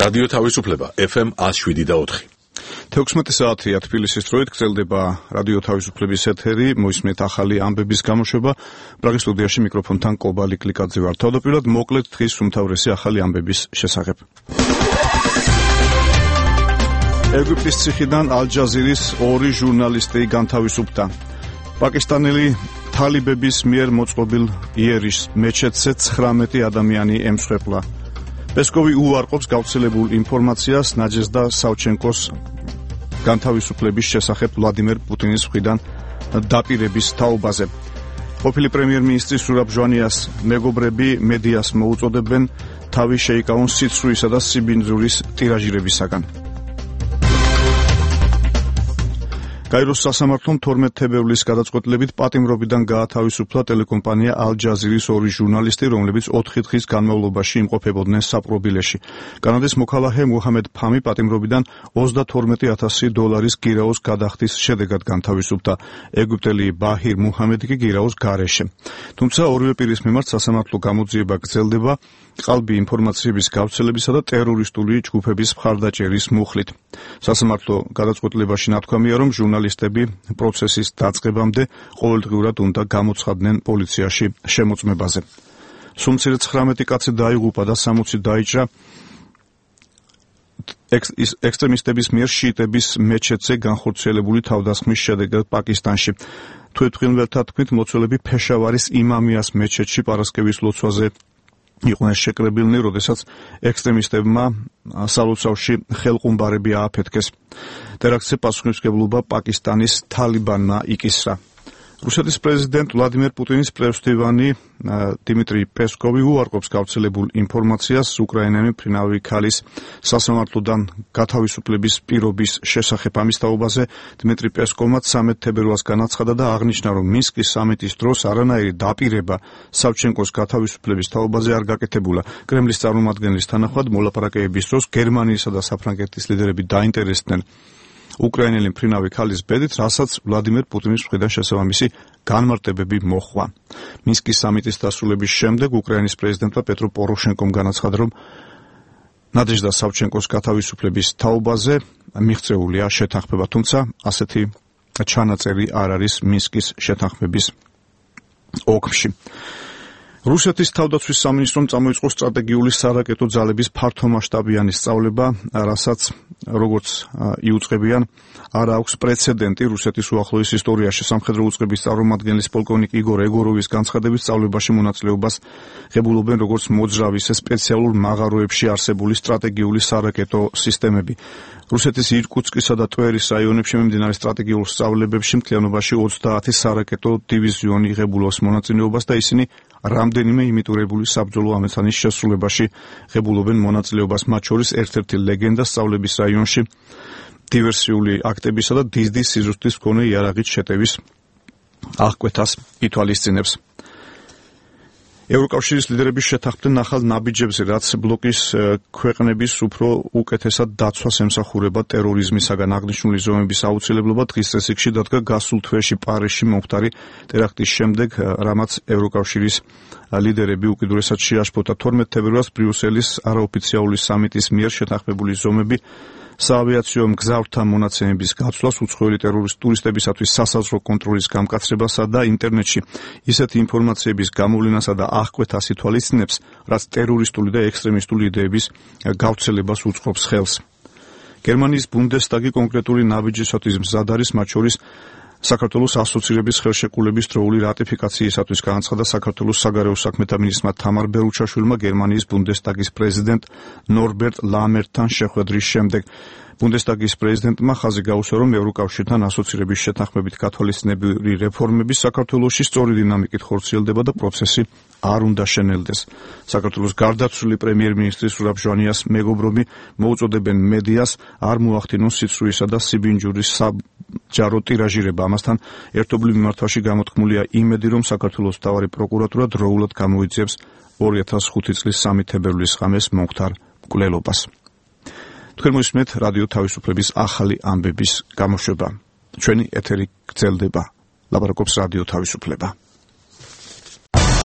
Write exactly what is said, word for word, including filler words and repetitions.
რადიო თავისუფლება ეფ ემ one oh seven და four. თექვსმეტი საათია თბილისის დროით გრძელდება რადიო თავისუფლების ეთერი, მოისმენთ ახალი ამბების გამოშვება. პრაღის სტუდიაში მიკროფონთან კობალი კლიკაძე ვარ. თავდაპირველად მოკლედ დღის უმთავრესი ახალი ამბების შესახებ. ეგვიპტის ციხიდან ალ-ჯაზირის ორი ჟურნალისტი განთავისუფლდა. პაკისტანელი თალიბების მიერ მოწყობილ იერიშ მეჩეთზე ცხრამეტი ადამიანი ემსხვერპლა. პესკოვი უარყოფს გავრცელებულ ინფორმაციას ნაჯეზდა სავჩენკოს განთავისუფლების შესახებ ვლადიმერ პუტინის მხრიდან დაპირების თაობაზე. ყოფილი პრემიერ-მინისტრი სურაბ ჟვანიას მეგობრები მედიას მოუწოდებენ თავი შეიკავონ სიცრუისა და სიბინძურის ტირაჟირებისაგან. გაიროს სასამართლომ თორმეტ თებერვლის გადაწყვეტილებით პატიმრობიდან გაათავისუფლა ტელეკომპანია ალ-ჯაზირის ორი ჟურნალისტი, რომლებიც ოთხი დღის განმავლობაში იმყოფებოდნენ საპყრობილეში. კანადის მოქალაქე მუჰამედ ფამი პატიმრობიდან ოცდათორმეტი ათასი დოლარის გირაოს გადახდის შედეგად განთავისუფლდა. ეგვიპტელი ბაჰირ მუჰამედი კი გირაოს გარეშე. თუმცა ორივე პირის მიმართ სასამართლო გამოძიება გრძელდება ყალბი ინფორმაციების გავრცელებისა და ტერორისტული ჯგუფების მხარდაჭერის მუხლით. სასამართლო გადაწყვეტილებაში ნათქვამია, რომ ჟურნალისტები პროცესის დაწყებამდე ყოველდღიურად უნდა გამოცხადდნენ პოლიციაში შემოწმებაზე. სულ მცირე ცხრამეტი კაცი დაიღუპა და სამოცი დაიჭრა ექსტრემისტების მიერ შიიტების მეჩეთზე განხორციელებული თავდასხმის შედეგად პაკისტანში. თვითმფრინველთა თქმით, მლოცველები ფეშავარის იმამიას მეჩეთში პარასკევის ლოცვაზე იყვნენ შეკრებილნი, როდესაც ექსტრემისტებმა სალოცავში ხელყუმბარები ააფეთქეს. ტერაქტზე პასუხისმგებლობა პაკისტანის თალიბანმა იკისრა. რუსეთის პრეზიდენტ ვლადიმერ პუტინის პრევსტივანი დიმიტრი პესკოვი უარყოფს გავრცელებულ ინფორმაციას უკრაინელი მფრინავი ქალის სასამართლოდან გათავისუფლების პირობის შესახებ. ამის თაობაზე დიმიტრი პესკოვმა ცამეტ თებერვალს განაცხადა და აღნიშნა, რომ მინსკის სამიტის დროს არანაირი დაპირება სავჩენკოს გათავისუფლების თაობაზე არ გაკეთებულა. კრემლის წარმომადგენლის თანახმად მოლაპარაკებების დროს გერმანიისა და საფრანგეთის ლიდერები დაინტერესდნენ უკრაინელი მფრინავი ქალის ბედით, რასაც ვლადიმერ პუტინის მხრიდან შესაბამისი განმარტებები მოჰყვა. მინსკის სამიტის დასრულების შემდეგ უკრაინის პრეზიდენტმა პეტრო პოროშენკომ განაცხადა, რომ ნადეჟდა სავჩენკოს გათავისუფლების თაობაზე მიღწეულია შეთანხმება, თუმცა ასეთი ჩანაწერი არ არის მინსკის შეთანხმების ოგმში. რუსეთის თავდაცვის სამინისტრომ წამოიწყო სტრატეგიული სარაკეტო ძალების ფართომასშტაბიანი სწავლება, რასაც როგორც იუწყებიან, არ აქვს პრეცედენტი რუსეთის უახლოეს ისტორიაში. სამხედრო უწყების წარმომადგენლის პოლკოვნიკ იგორ ეგოროვის განცხადებით, სწავლებაში მონაწილეობას ღებულობენ როგორც მოძრავ, ისე სპეციალურ მაღაროებში არსებული სტრატეგიული სარაკეტო სისტემები. რუსეთის ირკუტსკისა და ტვერის რაიონებში მიმდინარე სტრატეგიულ სწავლებებში მთლიანობაში ოცდაათი სარაკეტო დივიზიონი ღებულობს მონაწილეობას და ისინი რამდენიმე იმიტურებული საბრძოლო ამოცანის შესრულებაში ღებულობენ მონაწილეობას, მათ შორის ერთ-ერთი ლეგენდა სწავლების რაიონში დივერსიული აქტებისა და დიზდის სიზუსტის მქონე იარაღით შეტევის აღკვეთას ითვალისწინებს. ევროკავშირის ლიდერები შეთანხმდნენ ახალ ნაბიჯებზე, რაც ბლოკის ქვეყნების უფრო უკეთესად დაცვას ემსახურება ტერორიზმისაგან. აღნიშნული ზომების აუცილებლობა დღის წესრიგში დადგა გასულ თვეში პარიზში მომხდარი ტერაქტის შემდეგ, რამაც ევროკავშირის ლიდერები უკიდურესად შეაშფოთა. თორმეტ თებერვალს ბრიუსელის არაოფიციალური სამიტის მიერ შეთანხმებული ზომები საავიაციო მგზავრთა მონაცემების გაცვლას, უცხოელი ტურისტებისათვის სასაზღვრო კონტროლის გამკაცრებასა და ინტერნეტში ისეთი ინფორმაციების გამოვლენასა და აღკვეთას ითვალისწინებს, რაც ტერორისტული და ექსტრემისტული იდეების გავრცელებას უწყობს ხელს. გერმანიის ბუნდესტაგი კონკრეტული ნაბიჯისათვის მზად არის, მათ შორის საქართველოს ასოცირების ხელშეკრულების დროული რატიფიკაციისათვის განაცხადა საქართველოს საგარეო საქმეთა მინისტრმა თამარ ბერუჩაშვილმა გერმანიის ბუნდესტაგის პრეზიდენტ ნორბერტ ლამერტთან შეხვედრის შემდეგ. ბუნდესტაგის პრეზიდენტმა ხაზი გაუსვა, რომ ევროკავშირთან ასოცირების შეთანხმებით გათვალისწინებრივი რეფორმები საქართველოში სწორი დინამიკით ხორციელდება და პროცესი არ უნდა შენელდეს. საქართველოს გარდაცვლილი პრემიერ-მინისტრი სურაბ ჟვანიას მეგობრები მოუწოდებენ მედიას არ მოახდინოს სიცრუისა და სიბინჯურის საბჯარო ტირაჟირება. ამასთან ერთობლივ მიმართვაში გამოთქმულია იმედი, რომ საქართველოს მთავარი პროკურატურა დროულად გამოიძიებს ორი ათას ხუთი წლის სამი თებერვლის ღამეს მომხდარ მკვლელობას. თქვენ მოისმენთ რადიო თავისუფლების ახალი ამბების გამოშვება. ჩვენი ეთერი გრძელდება. ლაპარაკობს რადიო თავისუფლება.